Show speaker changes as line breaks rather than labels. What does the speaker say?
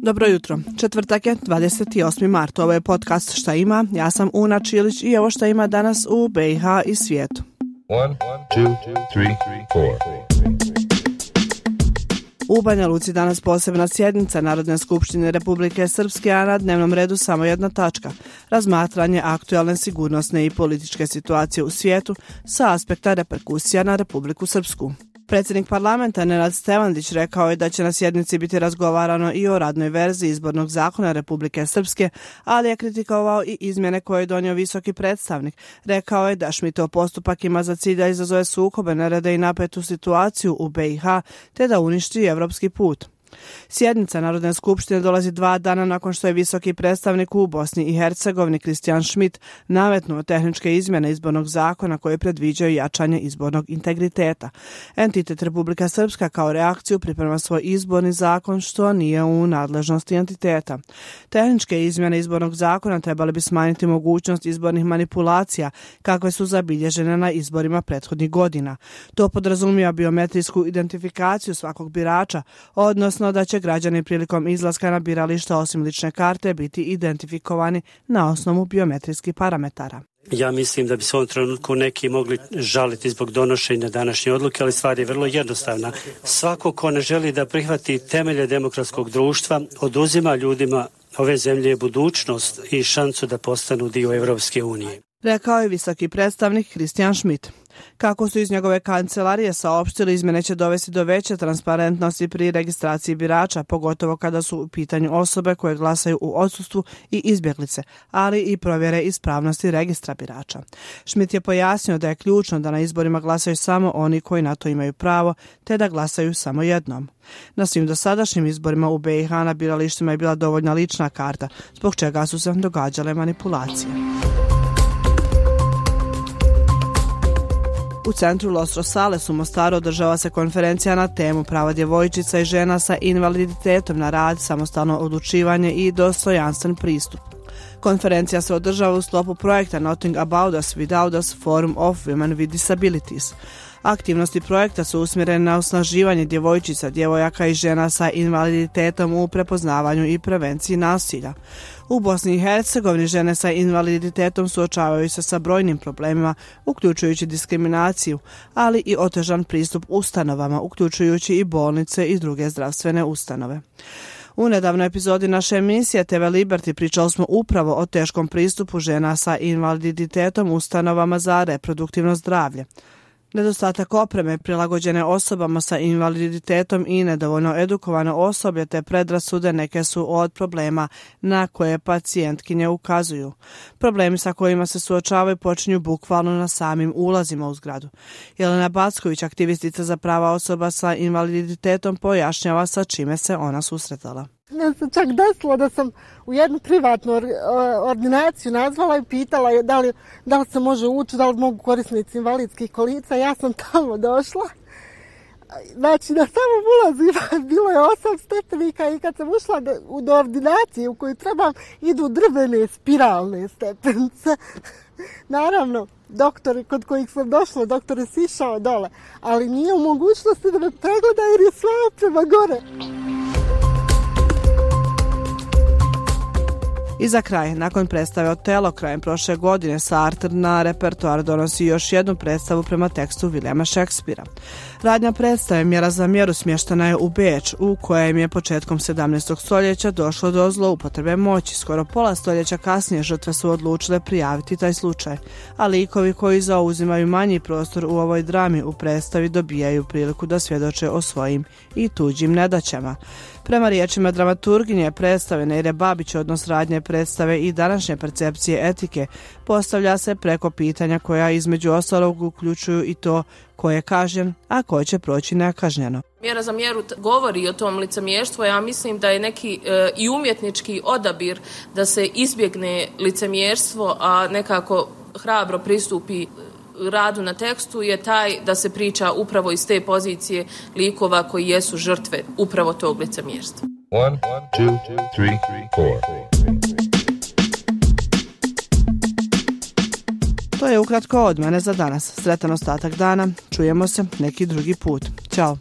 Dobro jutro. Četvrtak je 28. mart. Ovo je podcast Šta ima. Ja sam Una Čilić i evo šta ima danas u BiH i svijetu.
1, 2, 3, 4.
U Banja Luci danas posebna sjednica Narodne skupštine Republike Srpske, a na dnevnom redu samo jedna tačka. Razmatranje aktualne sigurnosne i političke situacije u svijetu sa aspekta reperkusija na Republiku Srpsku. Predsjednik parlamenta Nenad Stevandić rekao je da će na sjednici biti razgovarano i o radnoj verziji izbornog zakona Republike Srpske, ali je kritikovao i izmjene koje je donio visoki predstavnik. Rekao je da Šmitov postupak ima za cilj da izazove sukobe, nerede i napetu situaciju u BiH, te da uništi evropski put. Sjednica Narodne skupštine dolazi 2 dana nakon što je visoki predstavnik u Bosni i Hercegovini Christian Schmidt nametnuo tehničke izmjene izbornog zakona koje predviđaju jačanje izbornog integriteta. Entitet Republika Srpska kao reakciju priprema svoj izborni zakon što nije u nadležnosti entiteta. Tehničke izmjene izbornog zakona trebali bi smanjiti mogućnost izbornih manipulacija kakve su zabilježene na izborima prethodnih godina. To podrazumijeva biometrijsku identifikaciju svakog birača, odnosno da će građani prilikom izlaska na birališta osim lične karte biti identifikovani na osnovu biometrijskih parametara.
Ja mislim da bi se u ovom trenutku neki mogli žaliti zbog donošenja današnje odluke, ali stvar je vrlo jednostavna. Svako ko ne želi da prihvati temelje demokratskog društva oduzima ljudima ove zemlje budućnost i šansu da postanu dio Evropske unije.
Rekao je visoki predstavnik Christian Schmidt. Kako su iz njegove kancelarije saopštili, izmjene će dovesti do veće transparentnosti pri registraciji birača, pogotovo kada su u pitanju osobe koje glasaju u odsustvu i izbjeglice, ali i provjere ispravnosti registra birača. Schmidt je pojasnio da je ključno da na izborima glasaju samo oni koji na to imaju pravo, te da glasaju samo jednom. Na svim dosadašnjim izborima u BiH na biralištima je bila dovoljna lična karta, zbog čega su se događale manipulacije. U centru Los Rosales u Mostaru održava se konferencija na temu prava djevojčica i žena sa invaliditetom na rad, samostalno odlučivanje i dostojanstven pristup. Konferencija se održava u sklopu projekta Nothing About Us Without Us Forum of Women with Disabilities. Aktivnosti projekta su usmjerene na osnaživanje djevojčica, djevojaka i žena sa invaliditetom u prepoznavanju i prevenciji nasilja. U Bosni i Hercegovini žene sa invaliditetom suočavaju se sa brojnim problemima, uključujući diskriminaciju, ali i otežan pristup ustanovama, uključujući i bolnice i druge zdravstvene ustanove. U nedavnoj epizodi naše emisije TV Liberty pričali smo upravo o teškom pristupu žena sa invaliditetom ustanovama za reproduktivno zdravlje. Nedostatak opreme prilagođene osobama sa invaliditetom i nedovoljno edukovano osoblje te predrasude neke su od problema na koje pacijentkinje ukazuju. Problemi sa kojima se suočavaju počinju bukvalno na samim ulazima u zgradu. Jelena Backović, aktivistica za prava osoba sa invaliditetom, pojašnjava sa čime se ona susretala.
Ja sam čak desilo da sam u jednu privatnu ordinaciju nazvala i pitala da li se može ući, da li mogu korisnici invalidskih kolica. Ja sam tamo došla. Znači, na samom ulazu bilo je 8 stepenika i kad sam ušla do ordinacije u koju trebam, idu drvene spiralne stepenice. Naravno, doktori kod kojih sam došla, doktor je sišao dole, ali nije u mogućnosti da me pregleda jer je sva oprema gore.
I za kraj, nakon predstave Otelo krajem prošle godine, Sartre na repertoar donosi još jednu predstavu prema tekstu Williama Shakespearea. Radnja predstave Mjera za mjeru smještena je u Beč, u kojem je početkom 17. stoljeća došlo do zloupotrebe moći. Skoro pola stoljeća kasnije žrtve su odlučile prijaviti taj slučaj, a likovi koji zauzimaju manji prostor u ovoj drami u predstavi dobijaju priliku da svjedoče o svojim i tuđim nedaćama. Prema riječima dramaturginje predstave Neire Babić, odnos radnje predstave i današnje percepcije etike postavlja se preko pitanja koja između ostalog uključuju i to ko je kažnjen, a ko će proći nekažnjeno.
Mjera za mjeru govori o tom licemjerstvu. Ja mislim da je neki i umjetnički odabir da se izbjegne licemjerstvo, a nekako hrabro pristupi radu na tekstu je taj da se priča upravo iz te pozicije likova koji jesu žrtve upravo tog licemjerstva.
1, 2, 3, 4.
To je ukratko od mene za danas. Sretan ostatak dana. Čujemo se neki drugi put. Ćao.